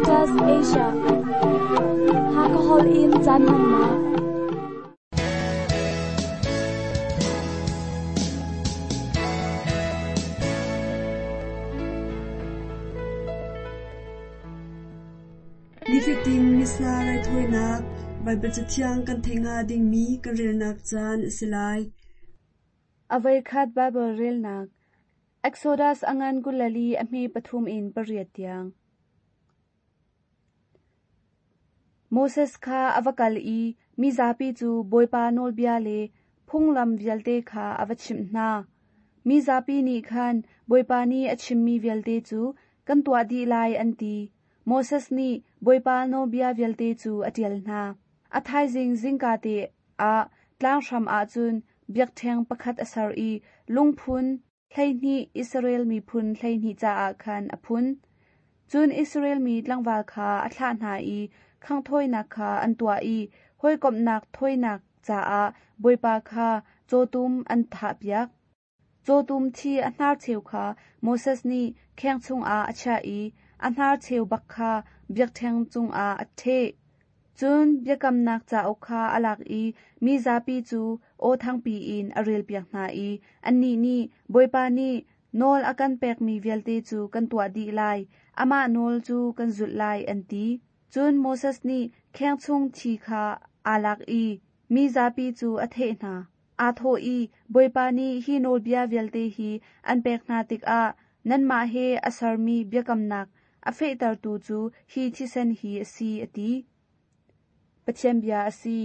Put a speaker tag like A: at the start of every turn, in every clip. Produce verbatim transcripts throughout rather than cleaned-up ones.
A: Adventist Asia. Hakahol in caan hmannak.
B: Nifatin Missa raithawinak Baibal Cathiang kan theih hnga dingmi kan relnak caan a si lai.
C: Avei khat Bible relnak Exodus angan kulali a hme pathum in pariat tiang. Moses kha ava kal i mi zapi cu Bawipa nawlbia le phunglam vialte kha ava chimh hna. Mi zapi nih khan Bawipa nih a chimmi vialte cu kan tuah dih lai an ti. Moses nih Bawipa nawlbia vialte cu a ṭial hna. A thaizing zingka te ah tlanghram ahcun biakṭheng pakhat a ser i lungphun hleihnih Israel miphun hleihnih caah khan a phun. Cun Israel mi tlangval kha a thlah hna i khanghthawinak kha an tuah i hawikomhnak thawinak caah Bawipa kha cawtum an thahpiak. Cawtum thi a hnarcheu kha Moses nih kheng chungah a chiah i a hnarcheu bak kha biakṭheng cungah a ṭheh. Cun biakamnak cauk kha a lak i mi zapi cu aw thangpi in a relpiak hna i annih nih Bawipa nih nawl a kan pekmi vialte cu kan tuah dih lai, amah nawl cu kan zulh lai an ti. Cun Moses nih kheng chung thi kha aa lak i mi zapi cu a theh hna. Aa thawh i Bawipa nih hi nawlbia vialte hi an pek hna tikah nanmah he a sermi biakamnak a fehtertu cu hi thisen hi a si a ti. Pathian bia a si.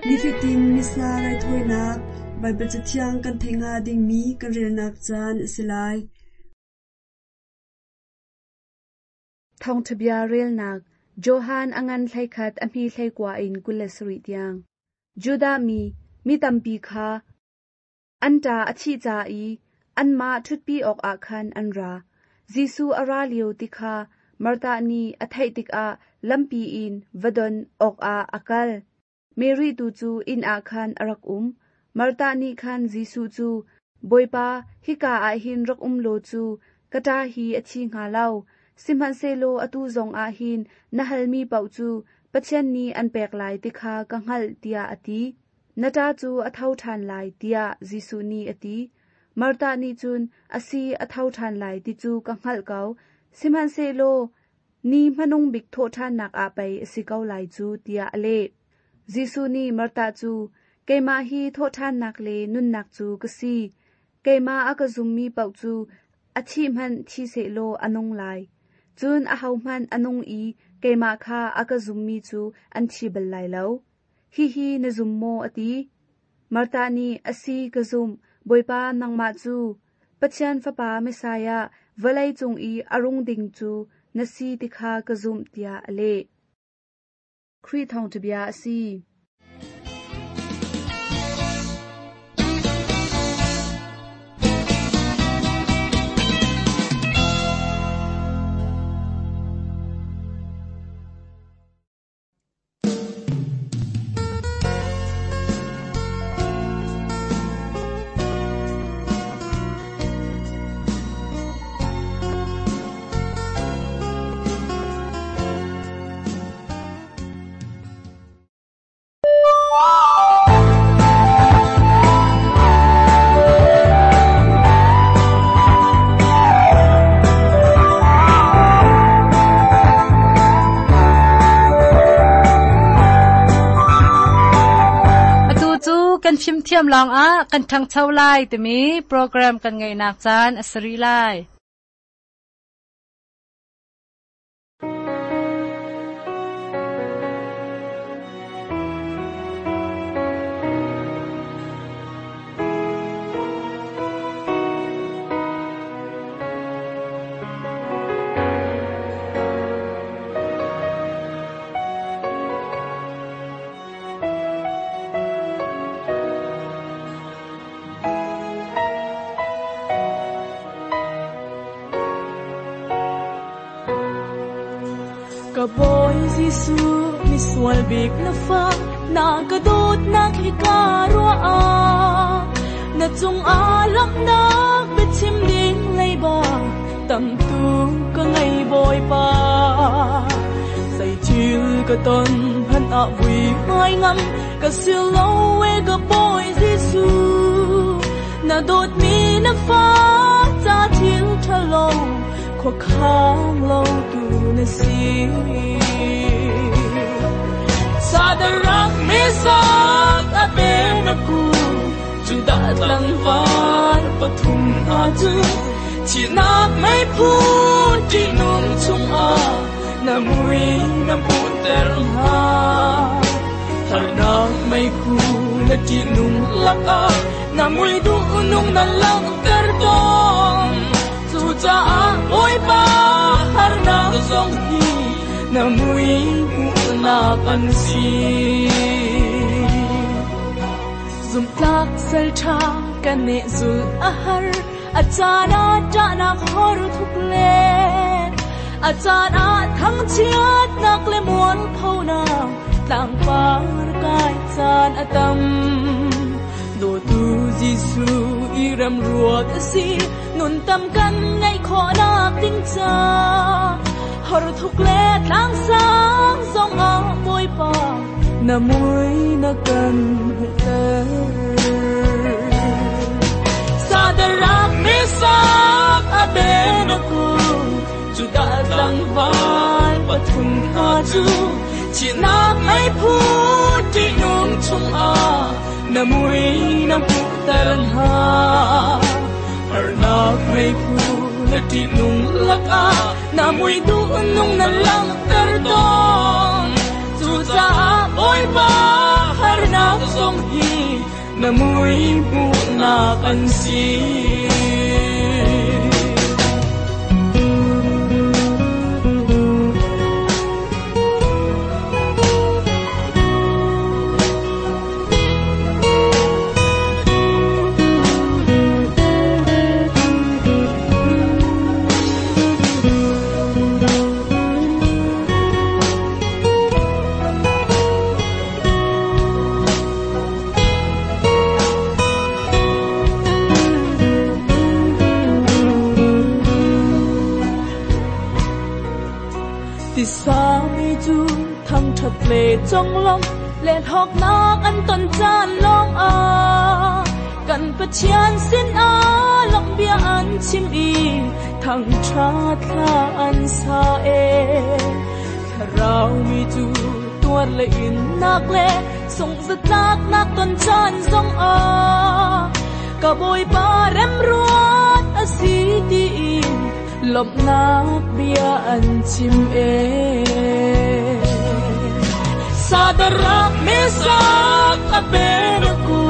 B: Nifatin Missa raithawinak Baibal Cathiang kan theih hnga dingmi kan relnak caan a si lai.
C: Thawngṭha bia relnak Johan angan hleikhat a hmi hleikua in kul le sarih tiang. Judah mi mi tampi kha an ṭa a thih ca i anmah ṭhutpi awkah khan an ra. Jesuh a ra lio ti kha Martha nih a theih tikah lampi in va don awkah a kal. Mary tu cu inn ah khan a rak um. Martha nih khan Jesuh cu, Bawipa, hika ah hin rak um law cu ka ṭa hi a thi hnga lo. Sihmanhsehlaw atu zong ah hin na halmi paoh cu Pathian nih an pek lai ti kha ka hngalh tiah a ti. Na ṭa cu a tho ṭhan lai tiah Jesuh nih a ti. Martha nih cun a si a tho ṭhan lai ti cu ka hngalh ko. Sihmanhsehlaw ni hmanung bik thawhṭhannak ah pei a si ko lai cu tiah a leh. Jesuh nih Martha cu, keimah hi thawhṭhannak le nunnak cu ka si. Keimah a ka zummi paoh cu a thih hmanh thi sehlaw a nung lai. Cun ahohmanh a nung i keimah kha a ka zummi cu an thi bal lai lo. Hihi na zum maw a ti. Martha nih a si ka zumh, Bawipa nangmah cu Pathian Fapa Messiah vawlei cung i a rung ding cu na si ti kha ka zumh tiah a leh. Khrih thawngṭha bia a si.
D: Kan fimthiam lawngah kan ṭhangcho lai timi program kan ngeihnak caan a si rih lai.
E: Jesu mi sual bik na fa na ka dawt nak hi ka rua a na chung a lam nak biachim ding lei ba tam tu ka ngai boy pa say thil ka ton han a vui mai ngam ka sil lo we ka boy Jesu na dawt mi na fa cha thil thalo kho khang lo tu na si Sadarak misak abenaku Juda tlangval pathum na chu Chinak may phu ti nung chung a Na mui na pu ter ha Harnak may khu na ti nung lak a Na mui du nung na lang ter tong Chu cha a oi pa harnak zong hi Na mui na kan si Zum tlak sel tha kan ne zul a har a chana ta na khor thuk le a chana thang chiat nak le muan pho na tlang par kai chan atam do tu Jesu i ram ruat si nun tam kan ngai kho nak ting cha har thuk le tlang sang zong a boi pa na mui na kan ter Sadarak misak abenaku Juda tlangval pathum na chu Chinak may phu ti nung chung a Na mui na pu ter ha Harnak may phu na ti nung lak a Na mui du nung na lang ter dong Chu cha oi pa harnak zong hi Na mui pu na kan si Chong long le thok nak an ton chan long a kan pathian sin a lok bia an chim i thang tha thla an sa e tharau mi chu tuar le in nak le sung za tlak nak ton chan zong a ka boy pa rem ruat a si ti in lop nak bia an chim e Sadarak misak abenaku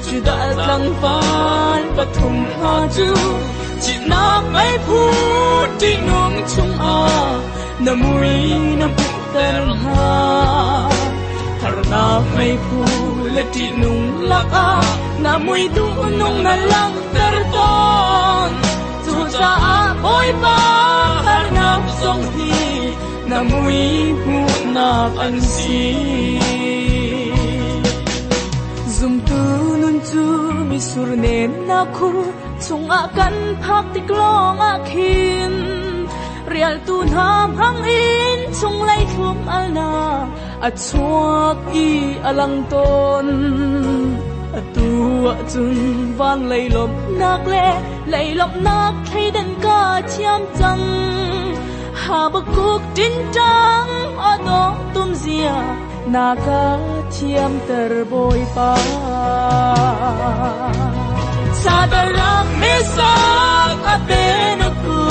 E: Juda tlangval pathum ha chu Chinak may phu ti nung chung a Na mui na pu ter ha Harnak may phu le ti nung lak a Na mui du nung na lang ter ton Chu cha a oi pa harnak zong hi Na mui pu na kan si Zum tu nun chu mi sur nen na khur chung a kan phak tik long a khin rial tu nam hang in chung lai thum al na a chuak i alang ton a tu a chun van lei lom nak le lei lom nak thei den ka chiam chang Habakuk tin tang ado tum zia na ka thiam ter boy pa Sadarak misak abenaku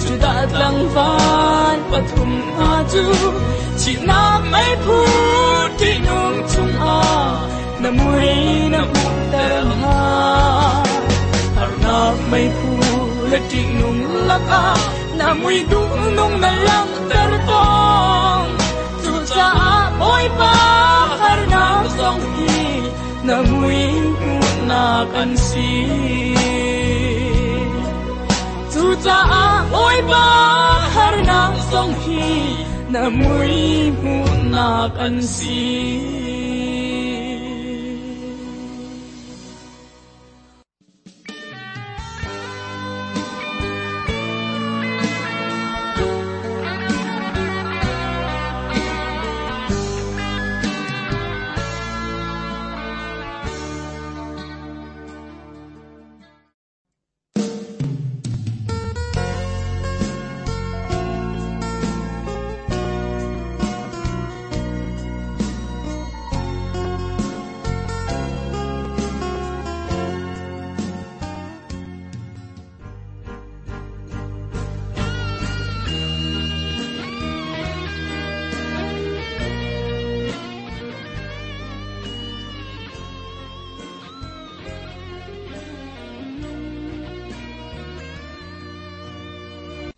E: Juda tlangval pathum ha chu Chinak may phu ti nung chung a Na mui na pu ter ha Harnak may phu le ti nung lak a Na mui du nung na lang ter tong Chu cha oi pa harnak zong hi Na mui pu na kan si Chu cha oi pa harnak zong hi Na mui hmuhnak an si.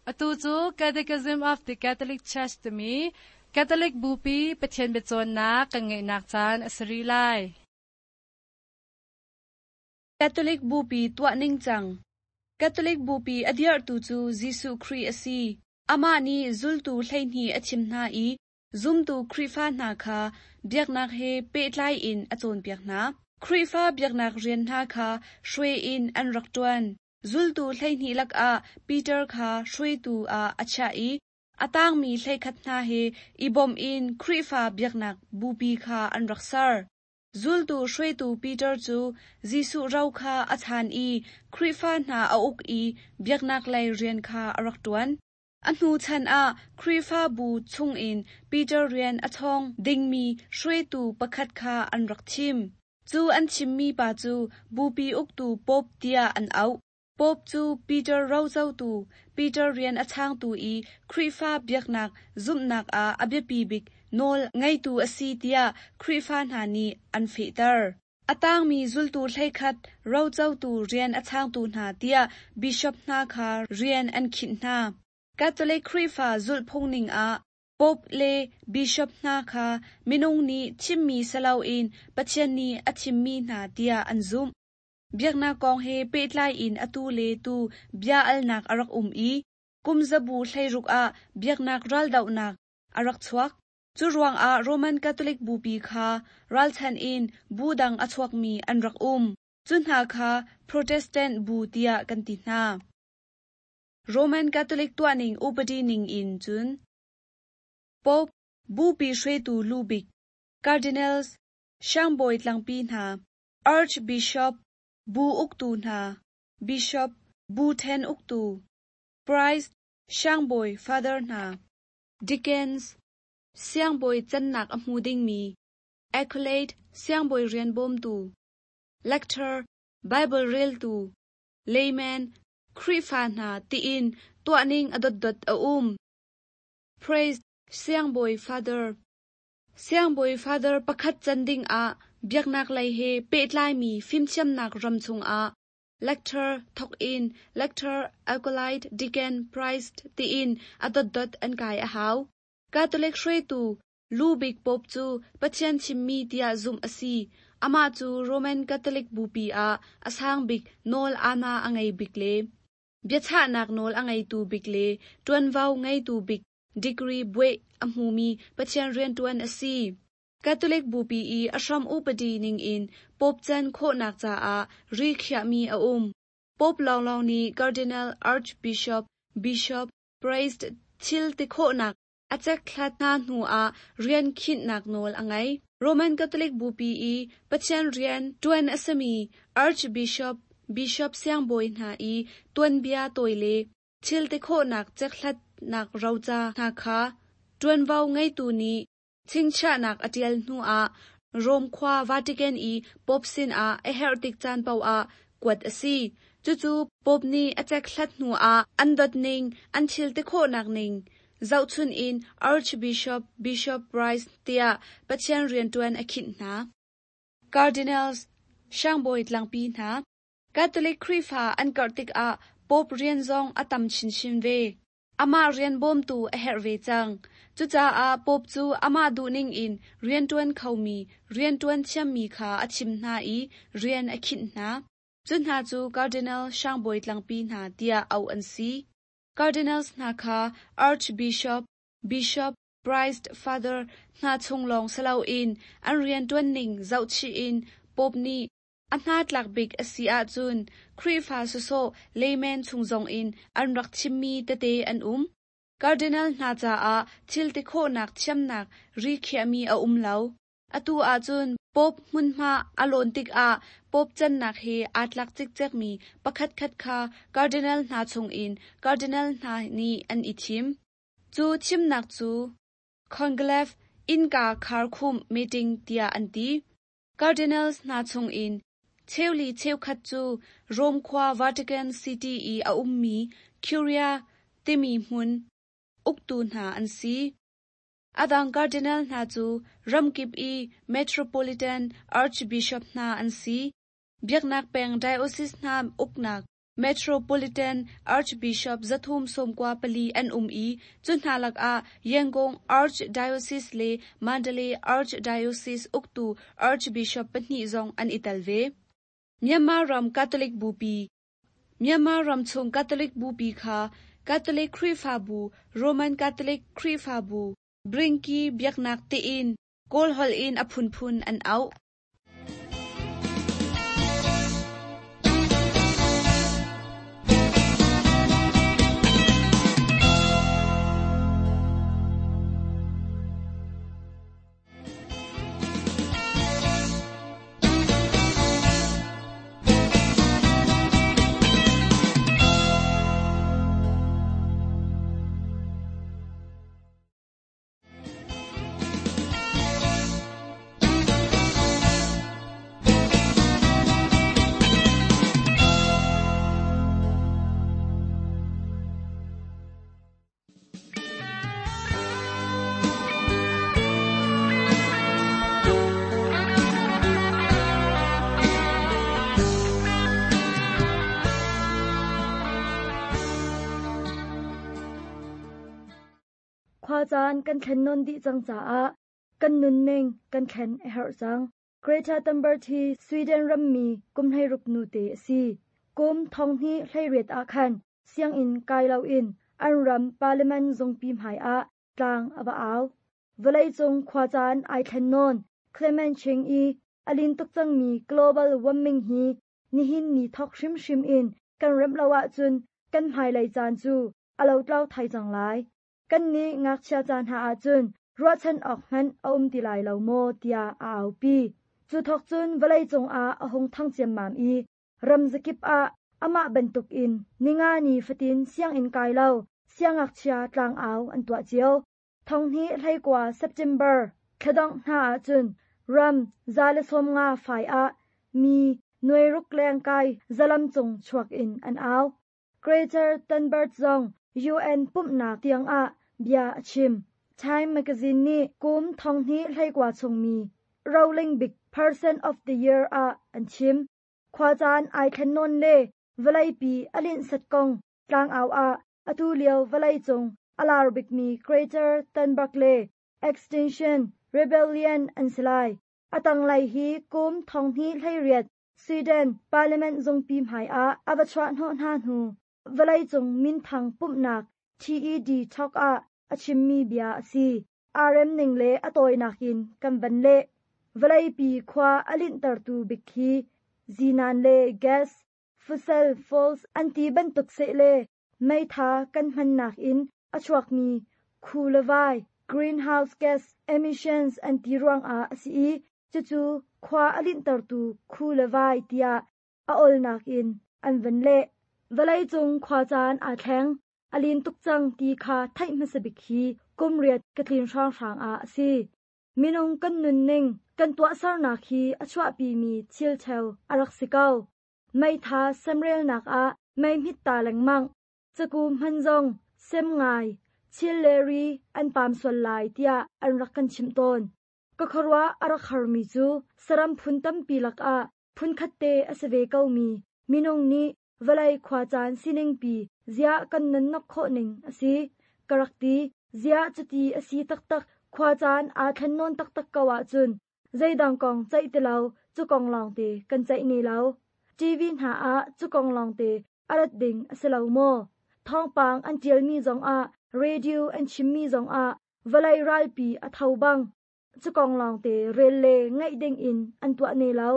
D: Atu cu Catechism of the Catholic Church timi Catholic Bupi Pathian biacawnnak kan ngeihnak caan a si rih lai.
C: Catholic Bupi tuah ningcang. Catholic Bupi a dirhtu cu Jesuh Khrih a si. Amah nih zultu hleihnih a thim hna i zumtu Khrihfa hna kha biaknak he pehtlai in a cawnpiak hna. Khrihfa biaknak rian hna kha hruai in an rak ṭuan. Zultu hleihnih lakah Peter kha hruaitu ah a chiah i a tangmi hleikhat hna he i bawm in Khrihfa biaknak bupi kha an rak ser. Zultu hruaitu Peter cu Jesuh ro kha a chaan i Khrihfa hna a uk i biaknak lei rian kha a rak ṭuan. A hnu chan ah Khrihfabu chungin Peter rian a chawng dingmi hruaitu pakhat kha an rak thim. Cu an thimmi pa cu bupi uktu Pope tiah an auh. Pope cu Peter rocotu, Peter rian a changtu i Khrihfa biaknak zumhnak ah a biapi bik nawl ngeitu a si tiah Khrihfa hna nih an fehter. A tangmi zultu hleikhat rocotu rian a changtu hna tiah bishop hna kha rian an khinh hna. Catholic Khrihfa zulhphung ning ah Pope le bishop hna kha minung nih thimmi si loin Pathian nih a thimmi hna tiah an zumh. Biaknak kong he pehtlai in atu le tu bia alnak a rak um i kum zabu hleiruk ah biaknak raldohnak a rak chuak. Cu ruangah Roman Catholic Bupi kha ralchan in bu dang a chuakmi an rak um. Cu hna kha Protestant bu tiah kan ti hna. Roman Catholic tuahning upadi ning in cun Pope, Bupi hruaitu lubik, Cardinals, Siangbawi tlangpi hna, Archbishop, bu uktu hna, Bishop, bu ṭhen uktu, Priest, Siangbawi Father hna, Deacons, Siangbawi cannak a hmu dingmi, Acolyte, Siangbawi rian bawmtu, Lector, Bible reltu, Layman, Khrihfa hna tiin tuahning a dotdot a um. Priest, Siangbawi Father. Siangbawi Father pakhat can dingah biaknak lei he pehtlaimi fimthiamnak ram chungah lector thawk in lector, acolyte, deacon, priest tiin a dotdot an kai a hau. Catholic hruaitu lubik Pope cu Pathian thimmi tiah zumh a si. Amah cu Roman Catholic Bupi ah a sang bik nawl aana a ngei bik le biachahnak nawl a ngeitu bik le ṭuanvo ngeitu bik degree buai a hmumi Pathian rianṭuan a si. Catholic Bupi i a hram upadi ningin Pope can khawhnak caah ri khiahmi a um. Pope lawnglawng nih Cardinal, Archbishop, Bishop, Priest thil ti khawhnak a cekhlat hna hnuah rian khinhnak nawl a ngei. Roman Catholic Bupi i Pathian rian ṭuan a simi Archbishop, Bishop siangbawi hna i tuanbia tawi le thil ti khawhnak cekhlatnak roca hna kha ṭuanvo ngeitu nih chingchiahnak a ṭial hnuah Rome khua Vatican i Pope sinah a herh tik caan paoh ah kuat a si. Cucu Pope nih a cekhlat hnuah an dotning, an thil ti khawhnak ning zohchun in Archbishop, Bishop, Priest tiah Pathian rianṭuan a khinh hna. Cardinals, Siangbawi tlangpi hna. Catholic Khrihfa an karh tikah Pope rian zong a tam chinchin ve. Amah rian bawmtu a herh ve cang. Cucaah Pope cu amah duhning in rianṭuan khomi, rianṭuan thiammi kha a thim hna i rian a khinh hna. Cu hna cu Cardinal Siangbawi tlangpi hna tiah auh an si. Cardinals hna kha Archbishop, Bishop, Priest Father hna chung lawng si loin an rianṭuan ning zohchih in Pope nih a hnatlak bik a si ahcun Khrihfa sawsawh layman chung zongin an rak thimmi tete an um. Cardinal hna caah thil ti khawhnak thiamnak ri khiahmi a um lo. Atu ahcun Pope hmunhma a lawn tikah Pope cannak he aa tlak cikcekmi pakhatkhat kha Cardinal hna chungin Cardinal hna nih an i thim. Cu thimnak cu Conclave innka kharkhumh meeting tiah an ti. Cardinals hna chungin cheuli cheukhat cu Rome khua Vatican City i a ummi Curia timi hmun uktu hna an si. Adang Cardinal hna cu ramkip i Metropolitan Archbishop hna an si. Biaknak peng diocese hna uknak Metropolitan Archbishop zathum sawmkua pali an um i cu hna lakah Yangon Archdiocese le Mandalay Archdiocese uktu Archbishop pahnih zong an i tel ve. Myanmar ram Catholic Bupi Myanmar ram chung Catholic Bupi kha Catholic Khrihfabu, Roman Catholic Khrihfabu, Bringki biaknak tiin Kawl holh in a phunphun an auh.
B: Khua caan kan thlen nawn dih cang caah kan nunning kan thlen a herh cang. Greta Thunberg hi Sweden rammi kum hleiruk nu te a si. Kum thong hnih hleiriat ah khan sianginn kai loin an ram parliament zungpi hmai ah tlang a va au. Vawleicung khua caan ai thlen nawn climate change i a lin tuk cangmi global warming hi nihin ni thok hrimhrim in kan remh lo ahcun kan hmailei caan cu a lotlau thai cang lai. Kan nih ngakchia caan hna ahcun ruahchan awk hmanh a um ti lai lo maw tiah a aupi. Cu thok cun vawleicung ah a hung thang ciammam i ram zakip ah amah bantuk in ninga ni fatin sianginn kai lo siangngakchia tlang au an tuah cio. Thong hnih hleikua September thladongh hna ahcun ram za le sawm nga fai ah mi nuairuk leng kai zalam cung chuak in an au. Greta Thunberg zong U N pumhnak tiang ah bia a chim. Time magazine nih kum thong hnih hleikua chungmi Rolling Big Person of the Year ah an chim. Khua caan ai thlen nawn le vawleipi a linh sat kong tlang au ah atu lio vawlei cung a lar bikmi Greta Thunberg le Extinction Rebellion an si lai. A tanglei hi kum thong hnih hleiriat Sweden Parliament zungpi hmai ah a va chuah hnawh hna hnu vawlei cung minthang pumhnak T E D Talk ah a chimmi bia a si. R M ning le a tawinak in kan van leh. Vawleipi khua a linhtertu bik hi zinan le gas, fossil fuels an ti bantuk seh le meitha kan hmannak in a chuakmi khu le vai, greenhouse gas emissions an ti ruangah a si i cucu khua a linhtertu khu le vai tiah a olnak in an van leh. Vawlei cung khua caan aa thleng, a lin tuk cang ti kha theih hmasa bik hi kum riat ka tlin hrawnghrang ah a si. Minung kan nunning, kan tuahsernak hi a chuahpimi thil cheu a rak si ko. Meitha semrelnak ah mei hmit ta lengmang, caku hman zong sem ngai, thil le ri an pam sual lai tiah an rak kan chimh tawn. Ka khuaruah a rak harmi cu saram phun tampi lakah phun khat te a si ve komi minung nih vawlei khua caan siningpi ziah kan nunnak khawh ning a si. Ka rak ti, ziah cuti a si taktak khua caan aa thlen nawn taktak ko ahcun zeidang kong ceih ti lo cu kong lawng te kan ceih ne lo. T V hna ah cu kong lawng te a rat ding a si lo maw? Thawngpang an ṭialmi zongah, radio an chimmi zongah Vawlei ralpi a tho bang. Cu kong lawngte rel le ngaih dingin an tuah ne lo.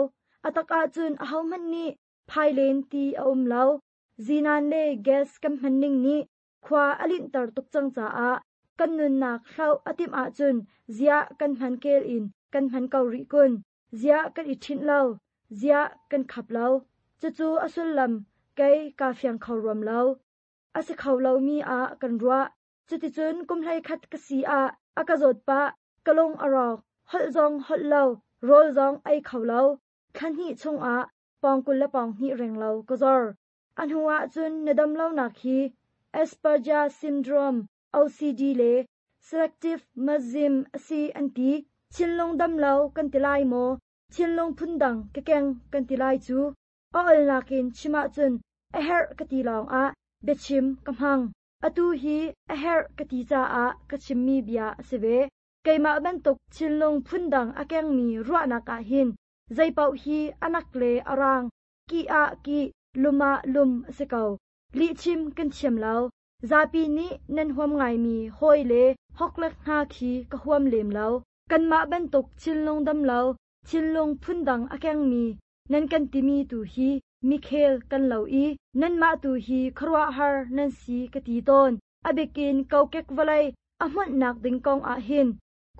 B: A tak ahcun ahohmanh nih phailen ti a um lo. Zinan le gas kan hmanning nih khua a linhter tuk cang caah kan nunnak hloh a timh ahcun ziah kan hman kel in kan hman ko rih kun. Ziah kan i ṭhinh lo. Ziah kan khap lo. Cucu a sullam kei kaa fiang kho ruam lo. A si kho lomi ah kan ruah. Cuticun kum hleikhat ka si ah a ka zawt pah, ka lung a rawk, holh zong holh lo, rawl zong ei kho lo. Thla hnih chungah pawng kul le pawng hnih reng lo ka zor. A hnu ahcun na dam lonak hi Asperger syndrome, O C D le selective mutism a si an ti. Thinlung dam lo kan ti lai maw? Thinlung phundang ka keng kan ti lai cu. A olnak in chim ahcun a herh ka ti lawngah biachim ka hmang. Atu hi a herh ka ti caah ka chimmi bia a si ve. Keimah bantuk thinlung phundang a kengmi ruahnak ah hin zeipaoh hi anak le a rang, ki ah ki, lum ah lum a si ko. Lihchim kan thiam lo. Zapi nih nan huam ngaimi hawi le hoklek hna khi ka huam lem lo. Kanmah bantuk thinlung dam lo, thinlung phundang a kengmi nan kan timi tu hi mikhel kan lo i nanmah tu hi khuaruahhar nan si ka ti tawn. A bikin kokek vawlei a hmunhnak ding kong ah hin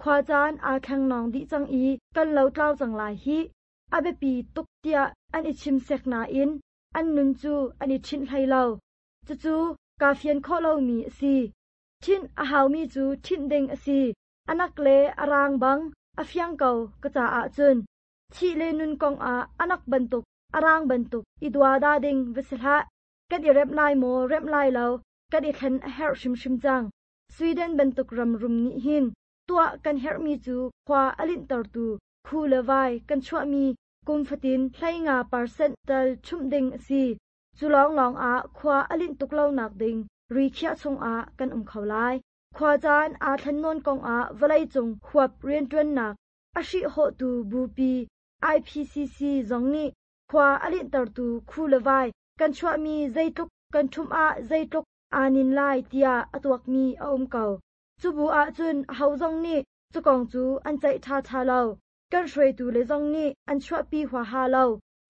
B: khua caan aa thleng dih cang i kan lo tlau cang lai hih. A biapi tuk tiah an i chim sek nain an nun cu an i ṭhinh hlei lo. Cucu kaa fian khawh lomi a si. Ṭhinh a haumi cu ṭhinh ding a si. Anak le a rang bang a fiang ko ka caah cun. Thih le nun kong ah anak bantuk a rang bantuk i duada ding va si hlah. Kan i remh lai maw remh lai lo kan i thlen a herh hrimhrim cang. Sweden bantuk ram rum nih hin tuah kan herhmi cu khua a linhtertu khu le vai kan chuahmi kum fatin hleinga percent tal chumh ding a si. Cu lawnglawng ah khua a linh tuk lonak ding ri khiah chungah kan um kho lai. Khua caan aa thlen nawn kong ah vawleicung huap rianṭuannak a hrihhawhtu bupi I P C C zong nih khua a linhtertu khu le vai kan chuahmi zeitluk kan ṭhumh ah zeitluk aa nin lai tiah a tuakmi a um ko. Cu bu ahcun aho zong nih cu kong cu an ceih ṭhaṭha lo. Kan hruaitu le zong nih an chuahpi huaha lo.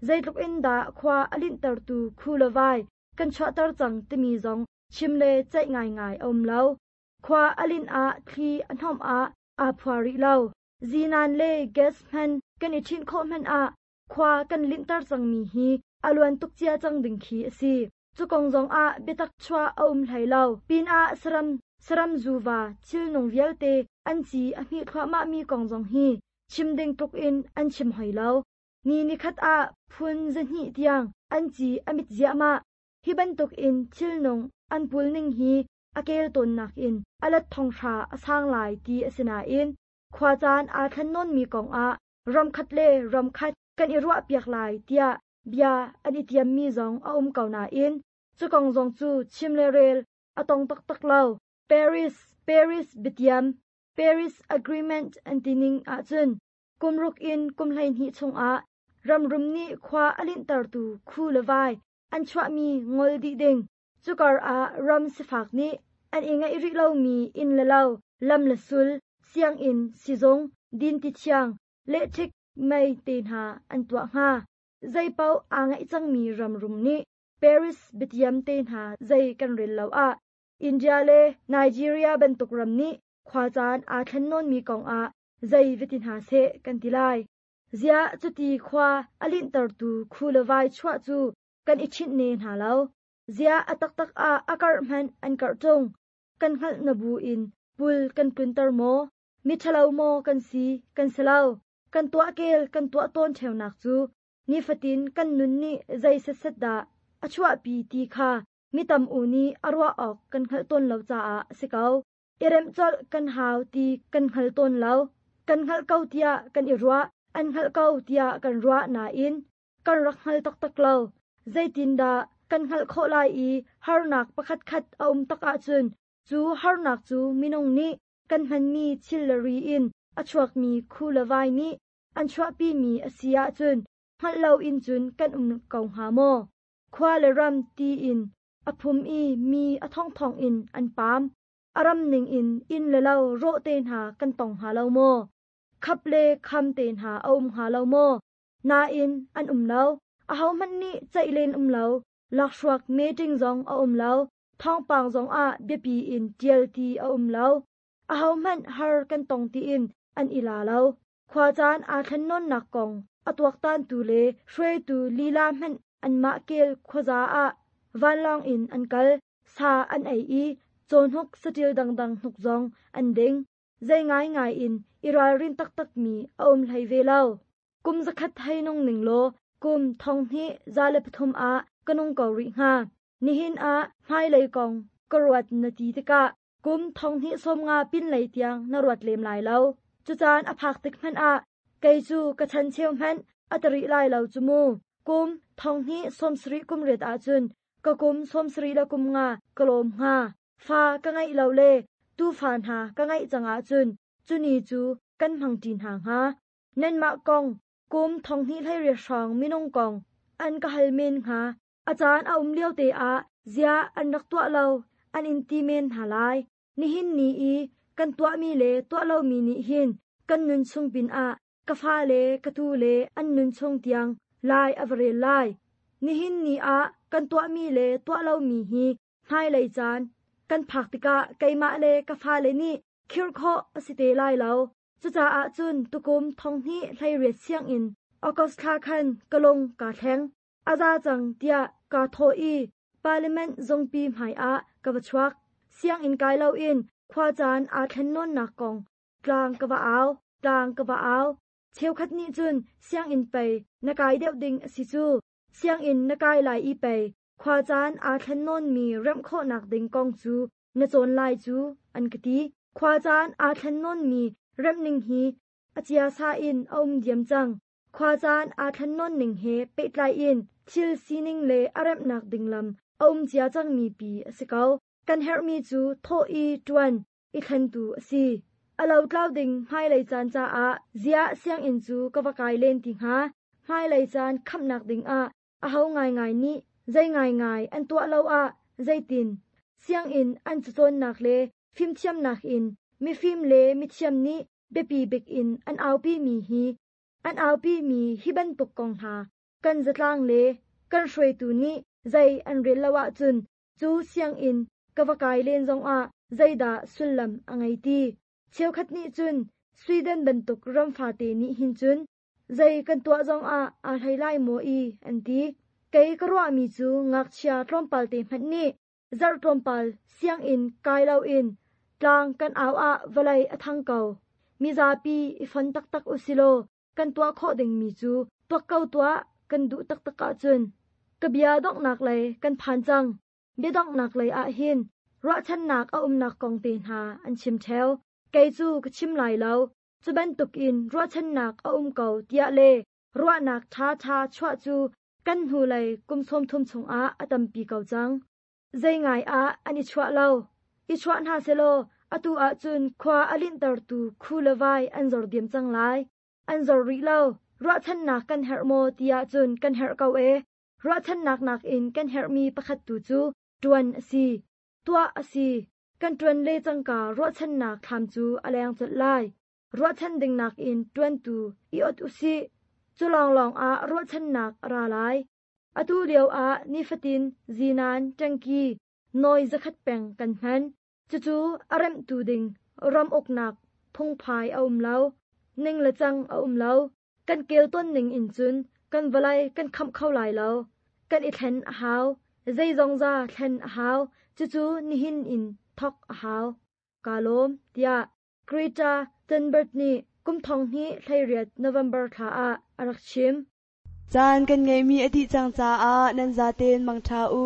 B: Zeitluk in dah khua a linhtertu khu le vai kan chuahter cang timi zong chim le ceih ngaingai a um lo. Khua a linh ah thli a hnomh ah aa phua rih lo. Zinan le gas hman kan i ṭhinh khawh hmanh ah khua kan linhter cangmi hi a luan tuk cia cang ding khi a si. Cu kong zong ah biatak chuah a um hlei lo. Pinah saram saram zuva thilnung vialte an ci a hmih thluahmahmi kong zong hi chim ding tluk in an chim hoi lo. Ni nikhat ah phun zahnih tiang an ci a mit ziahmah. Hi bantuk in thilnung an pul ning hi a kel tawnnak in a let thonghra a sang lai ti a si nain khua caan aa thlen nawnmi kong ah ramkhat le ramkhat kan i ruahpiak lai tiah bia an i tiammi zong a um ko nain cu kong zong cu chim le rel a tong taktak lo. Paris Paris biatiam Paris Agreement an ti ning ahcun kum ruk in kum hleihnih chungah ramrum nih khua a linhtertu khu le vai an chuahmi ngol dih ding. Cukar ah ram sifak nih an i ngeih rih lomi inn le lo, lam le sul, sianginn, sizung, dinti thiang, lehṭhik mei te hna an tuah hnga. Zeipaoh aa ngeih cangmi ramrum nih Paris biatiam te hna zei kan rel lo ah India le Nigeria bantuk ram nih khua caan aa thlen nawnmi kong ah zei va ti hna seh kan ti lai. Ziah cuti khua a linhtertu khu le vai chuah cu kan i ṭhinh ne hna lo. Ziah a taktak ah a karh hmanh an karh ṭung. Kan hngalh na bu in pul kan tlunter maw? Miṭhalo maw kan si? Kan si lo. Kan tuah kel kan tuah tawn ṭheunak cu nifatin kan nun nih zei setset dah a chuahpi ti kha mi tam u nih a ruah awk kan hngalh tawn lo caah a si ko. I remh colh kan hau ti kan hngal tawn lo. Kan hngalh ko tiah kan i ruah, an hngalh ko tiah kan ruah nain kan rak hngal taktak lo. Zeitindah kan hngalh khawh lai i harnak pakhatkhat a um tak ahcun cu harnak cu minung nih kan hmanmi thil le ri in a chuakmi khu le vai nih an chuahpimi a si ahcun hngalh loin cun kan um ko hnga maw? Khua le ram ti in a phum i mi a thongthong in an paam. Aram ning in in le lo ro te hna kan tong hnga lo maw? Khap le kham te hna a um hnga lo maw? Nain an um lo. Ahohmanh nih ceih len um lo. Lakhruak meeting zong a um lo. Thawngpang zong ah biapi in ṭial ti a um lo. Ahohmanh har kan tong tiin an i la lo. Khuacaan aa thlennawnnak kong a tuaktantu le hruaitu lila hmanh anmah kel khuaza ah vanlawng in an kal, sa an ei i cawhnuk saṭil dangdang hnuk zong an ding. Zei ngaingai in i ralrin taktakmi a um hlei ve lo. Kum zakhat hei nung ning law kum thong hnih za le pathum ah ka nung ko rih hnga. Nihin ah hmailei kong ka ruat na ti tikah kum thong hnih sawm nga pinlei tiang na ruat lem lai lo. Cucaan a phak tik hmanh ah kei cu ka chan cheu hmanh a tari lai lo cu mu. Kum thong hnih sawm sarih kum riat ahcun ka kum sawm sarih le kum nga ka lawm hnga. Fa ka ngeih lo le tufa hna ka ngeih cang ahcun cuni cu kan hmangṭi hna hnga. Nanmah kong kum thong hnih hleiriat hrawng minung kong an ka hal men hnga. A caan a um lio te ah zia an rak tuah lo an in ti men hna lai. Nihin ni i kan tuahmi le tuah lomi nih hin kan nun chung pinah ka fa le ka tu le an nun chung tiang lai a va rel lai. Nihin ni ah kan tuahmi le tuah lomi hi hmailei caan kan phak tikah keimah le ka fale nih khirh khawh a si te lai lo. Cucaah cun tukum thong hnih hleiriat sianginn August thla khan ka lung kaa thleng. A za cang tiah kaa thawh i Parliament zungpi hmaiah ka va chuak. Sianginn kai loin khuacaan aa thlennawnnak kong tlang ka va au, tlang ka va au. Cheukhat nih cun sianginn pei na kai deuh ding a si cu. Sianginn na kai lai i pei khuacaan aa thlennawnmi remh khawhnak ding kong cu na cawn lai cu an ka ti. Khuacaan aa thlennawnmi remhning hi a chiasa in a um diam cang. Khuacaan aa thlennawn ning he pehtlai in thil sining le a remhnak ding lam a um cia cangmi pi a si ko. Kan herhmi cu thawh i ṭuan i thlentu a si. A lotlau ding hmailei caan caah ziah sianginn cu ka va kai len ti hnga. Hmailei caan khamhnak dingah aho ngaingai nih zei ngaingai an tuah lo ah zeitin sianginn an cacawnnak le fimthiamnak in mifim le mithiam nih biapi bik in an aupi mi hi an aupi mi hi bantuk kong hna kan zatlang le kan hruaitu nih zei an rel lo ahcun cu sianginn ka va kai len zongah zeidah sullam a ngei ti. Cheukhat nih cun Sweden bantuk ram fate nih hin cun zei kan tuah zongah aa hlei lai maw i an ti. Kei ka ruahmi cu ngakchia tlawmpal te hmanh nih zarh tlawmpal sianginn kai loin tlang kan au ah vawlei a thang ko. Mizapi i fon taktak usilaw kan tuah khawh dingmi cu tuak ko tuah kan duh taktak ahcun. Ka bia donghnak lei kan phan cang. Bia donghnak lei ah hin ruahchannak a umnak kong te hna an chim ṭheo. Kei cu ka chim lai lo. Cu bantukin ruahchannak a um ko tiah le ruahnak ṭhaṭha chuah cu kan hnulei kum sawmthum chungah a tampi ko cang. Zei ngai ah an i chuah lo. I chuah hna selaw atu ahcun khua a linhtertu khu le vai an zor diam cang lai. An zor rih lo. Ruahchannak kan herh maw tiah cun kan herh ko e. Ruahchannak nakin kan herhmi pakhat tu cu ṭuan a si. Tuah a si. Kan ṭuan le cangka ruahchannak thlam cu a leng colh lai. Ruahchan ding nakin ṭuantu i ot usih. Cu lawnglawng ah ruahchannak a ra lai. Atu lio ah nifatin zinan ṭangki nawi zakhat peng kan hman. Cucu a remhtu ding ram uknak phungphai a um lo. Ning le cang a um lo. Kan kel ton ning in cun kan vawlei kan khamh kho lai lo. Kan i thlen a hau. Zeizong za thlen a hau. Cucu nihin in thok a hau. Kaa lawm tiah Greta Thunberg nih kum thong hnih hleiriat November thla ah a rak chim.
F: Caan kan ngeihmi a dih cang caah nan zaten mangṭha u.